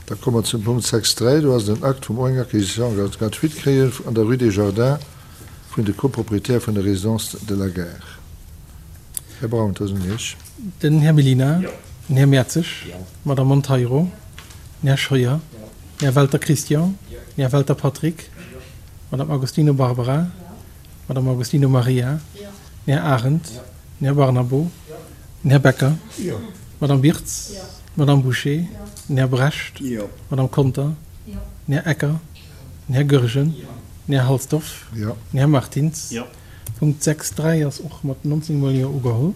Da komme mer zum Punkt 6.3. Do ass et en Akt vum ONG Acquisition gratuite kréien an der Rue des Jardins vun de Copropriétaires vun der Résidence de la Gare. Här Braun, et ass un Iech. Den Här Mellina, den Här Mertzig, d'Madame Monteiro, den Här Scheuer, den Här Welter Christian, den Här Welter Patrick, d'Madame Agostino Barbara, d'Madame Agostino Maria, den Här Arendt, den Här Barnabo, den Här Becker, d'Madame Wirtz, d'Madame Bouché, den Här Brecht, d'Madame Conter, den Här Ecker, den Här Goergen, den Här Halsdorf, den Här Martins. Punkt 6.3 ass och mat 19 mol Jo ugeholl.